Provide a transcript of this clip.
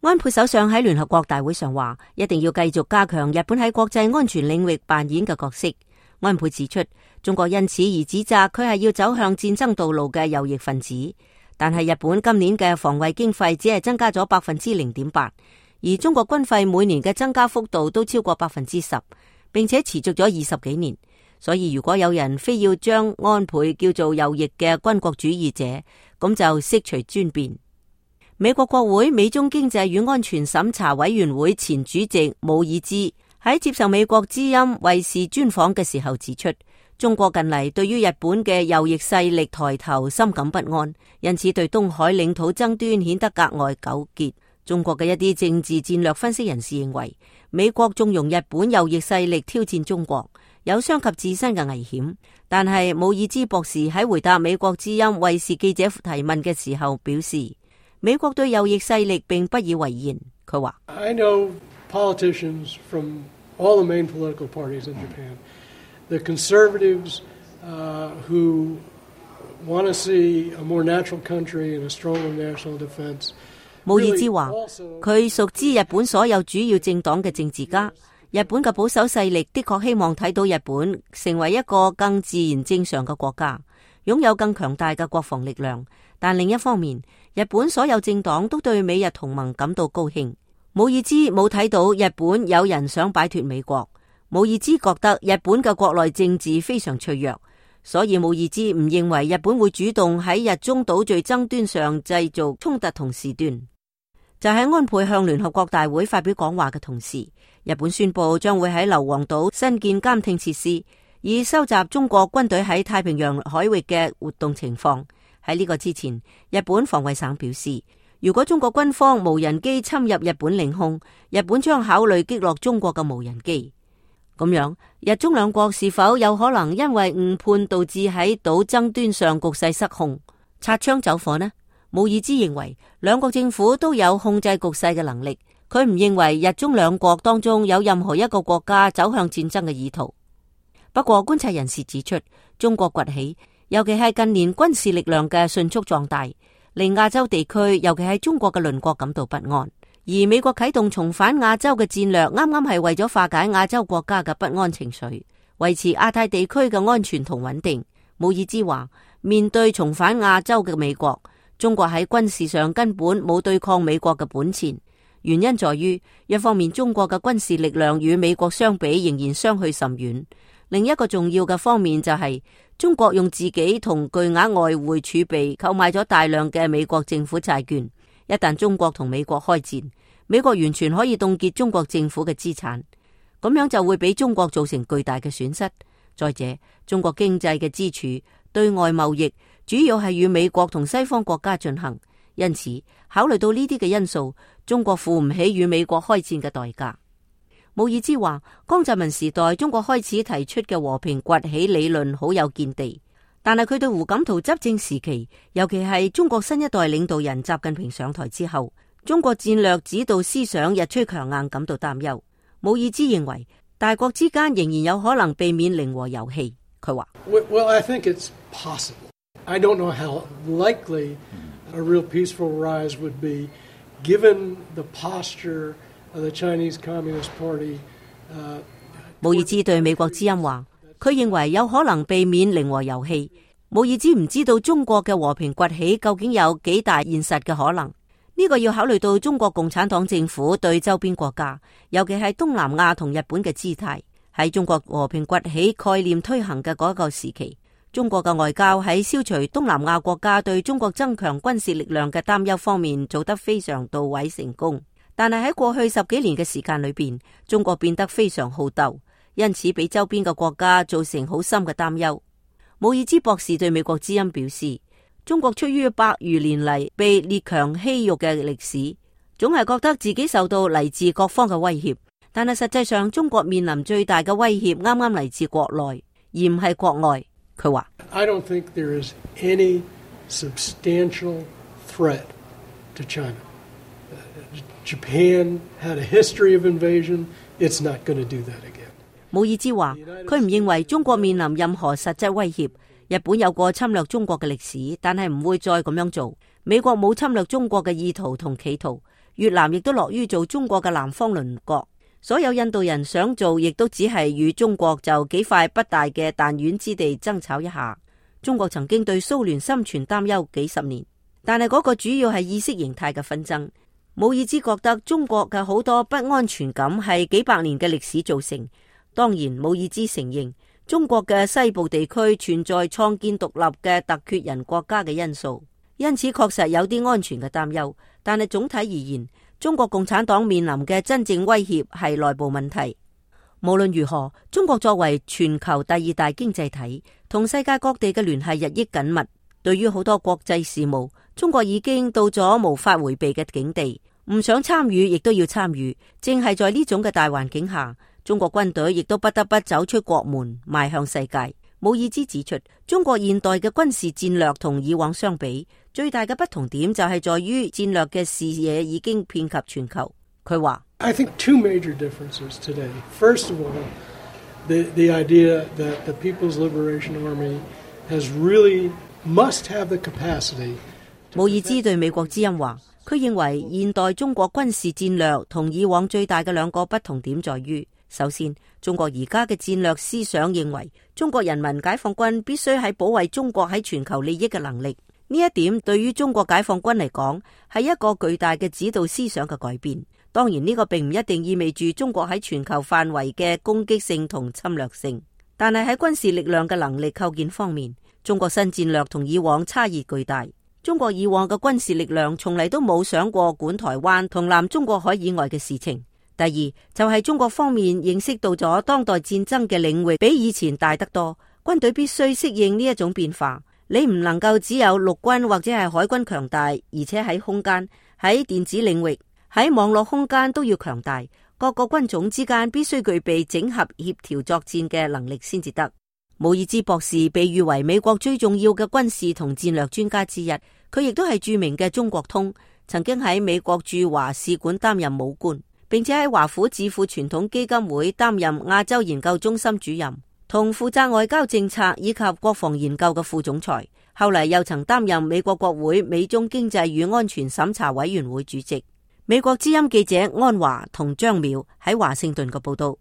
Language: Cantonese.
安倍首相喺聯合國大會上話，一定要繼續加強日本喺國際安全領域扮演嘅角色。安倍指出，中國因此而指責佢係要走向戰爭道路嘅右翼分子。但係日本今年嘅防衛經費只係增加咗 0.8%， 而中國軍費每年嘅增加幅度都超過 10%， 並且持續咗20幾年。所以如果有人非要將安倍叫做右翼嘅軍國主義者，咁就悉隨尊便。美國國會美中經濟與安全審查委員會前主席姆爾茲喺接受美國之音衛視專訪嘅時候指出，中國近嚟對於日本嘅右翼勢力抬頭深感不安，因此對東海領土爭端顯得格外糾結。中國嘅一啲政治戰略分析人士認為，美國縱容日本右翼勢力挑戰中國，有傷及自身嘅危險。但係姆爾茲博士喺回答美國之音衛視記者提問嘅時候表示，美國對右翼勢力並不以為然。佢話 I know politicians from all the main political parties in Japan, the conservatives who want to see a more natural country and a stronger national defense。 姆爾茲話，佢熟知日本所有主要政黨嘅政治家，日本嘅保守勢力的確希望睇到日本成為一個更自然正常嘅國家，擁有更強大嘅國防力量。但另一方面，日本所有政黨都對美日同盟感到高興。姆爾茲冇睇到日本有人想擺脫美國。姆爾茲覺得日本嘅國內政治非常脆弱，所以姆爾茲唔認為日本會主動喺日中島嶼爭端上製造衝突同事端。就喺安倍向聯合國大會發表講話嘅同時，日本宣布將會喺硫磺島新建監聽設施，以收集中國軍隊喺太平洋海域嘅活動情況。喺呢個之前，日本防衛省表示，如果中國軍方無人機侵入日本領空，日本將考慮擊落中國嘅無人機。咁樣，日中兩國是否有可能因為誤判導致喺島爭端上局勢失控，擦槍走火呢？姆爾茲認為兩國政府都有控制局勢嘅能力，佢唔認為日中兩國當中有任何一個國家走向戰爭嘅意圖。不過觀察人士指出，中國崛起，尤其係近年軍事力量嘅迅速壯大，令亞洲地區，尤其係中國嘅鄰國感到不安。而美國啟動重返亞洲嘅戰略，啱啱係為咗化解亞洲國家嘅不安情緒，維持亞太地區嘅安全同穩定。姆爾茲話，面對重返亞洲嘅美國，中國喺軍事上根本冇對抗美國嘅本錢。原因在於，一方面中國嘅軍事力量與美國相比仍然相去甚遠，另一個重要嘅方面就係中國用自己同巨額外匯儲備購買咗大量嘅美國政府債券。一旦中國同美國開戰，美國完全可以凍結中國政府嘅資產，咁樣就會俾中國造成巨大嘅損失。再者，中國經濟嘅支柱對外貿易主要係與美國同西方國家進行，因此考慮到呢啲嘅因素，中國付唔起與美國開戰嘅代價。姆爾茲話，江澤民時代中國開始提出嘅和平崛起理論好有見地，但係佢對胡錦濤執政時期，尤其係中國新一代領導人習近平上台之後，中國戰略指導思想日趨強硬感到擔憂。姆爾茲認為大國之間仍然有可能避免零和遊戲。佢話 Well, I think it's possible. I don't know how likely a real peaceful rise would be given the posture of the Chinese Communist Party. 姆爾茲對美國之音話，佢認為有可能避免零和遊戲。姆爾茲唔知道中國嘅和平崛起究竟有幾大現實嘅可能。呢個要考慮到中國共產黨政府對周邊國家，尤其係東南亞同日本嘅姿態。喺中國和平崛起概念推行嘅嗰個時期，中國嘅外交喺消除東南亞國家對中國增強軍事力量嘅擔憂方面做得非常到位成功。但係喺過去10幾年嘅時間裏邊，中國變得非常好鬥，因此俾周邊嘅國家造成好深嘅擔憂。姆爾茲博士對美國之音表示，中國出於百餘年嚟被列強欺辱嘅歷史，總係覺得自己受到嚟自各方嘅威脅，但係實際上中國面臨最大嘅威脅啱啱嚟自國內，而唔係國外。佢話 I don't think there is any substantial threat to China. Japan had a history of invasion. It's not going to do that again. 姆爾茲話，佢唔認為中國面臨任何實質威脅。日本有過侵略中國嘅歷史，但係唔會再咁樣做。美國冇侵略中國嘅意圖同企圖。越南亦都樂於做中國嘅南方鄰國。所有印度人想做，亦都只係與中國就幾塊不大嘅彈丸之地爭吵一下。中國曾經對蘇聯心存擔憂幾十年，但係嗰個主要係意識形態嘅紛爭。姆爾茲覺得中國嘅好多不安全感係幾百年嘅歷史造成。當然，姆爾茲承認中國嘅西部地區存在創建獨立嘅突厥人國家嘅因素，因此確實有啲安全嘅擔憂。但係總體而言，中國共產黨面臨嘅真正威脅係內部問題。無論如何，中國作為全球第二大經濟體，同世界各地嘅聯繫日益緊密。對於好多國際事務，中國已經到咗無法回避嘅境地，唔想參與亦都要參與。正係在呢種嘅大環境下，中國軍隊亦都不得不走出國門，邁向世界。姆爾茲指出，中國現代嘅軍事戰略同以往相比，最大嘅不同點就係在於戰略嘅視野已經遍及全球。佢話 I think two major differences today. First of all, the idea that the People's Liberation Army has really must have the capacity. 姆爾茲對美國之音話，佢認為現代中國軍事戰略同以往最大嘅兩個不同點在於，首先，中國而家嘅戰略思想認為中國人民解放軍必須喺保衛中國喺全球利益嘅能力。呢一點對於中國解放軍嚟講係一個巨大嘅指導思想嘅改變。當然呢個並唔一定意味住中國喺全球範圍嘅攻擊性同侵略性，但係喺軍事力量嘅能力構建方面，中國新戰略同以往差異巨大。中國以往嘅軍事力量從嚟都冇想過管台灣同南中國海以外嘅事情。第二就係中國方面認識到咗當代戰爭嘅領域比以前大得多，軍隊必須適應呢一種變化。你唔能夠只有陸軍或者係海軍強大，而且喺空間、喺電子領域、喺網絡空間都要強大。各個軍種之間必須具備整合協調作戰嘅能力先至得。姆爾茲博士被譽為美國最重要嘅軍事同戰略專家之一，佢亦都係著名嘅中國通，曾經喺美國駐華使館擔任武官，並且喺華府智庫傳統基金會擔任亞洲研究中心主任，同負責外交政策以及國防研究嘅副總裁。後嚟又曾擔任美國國會美中經濟與安全審查委員會主席。美國之音記者安華同張淼喺華盛頓嘅報道。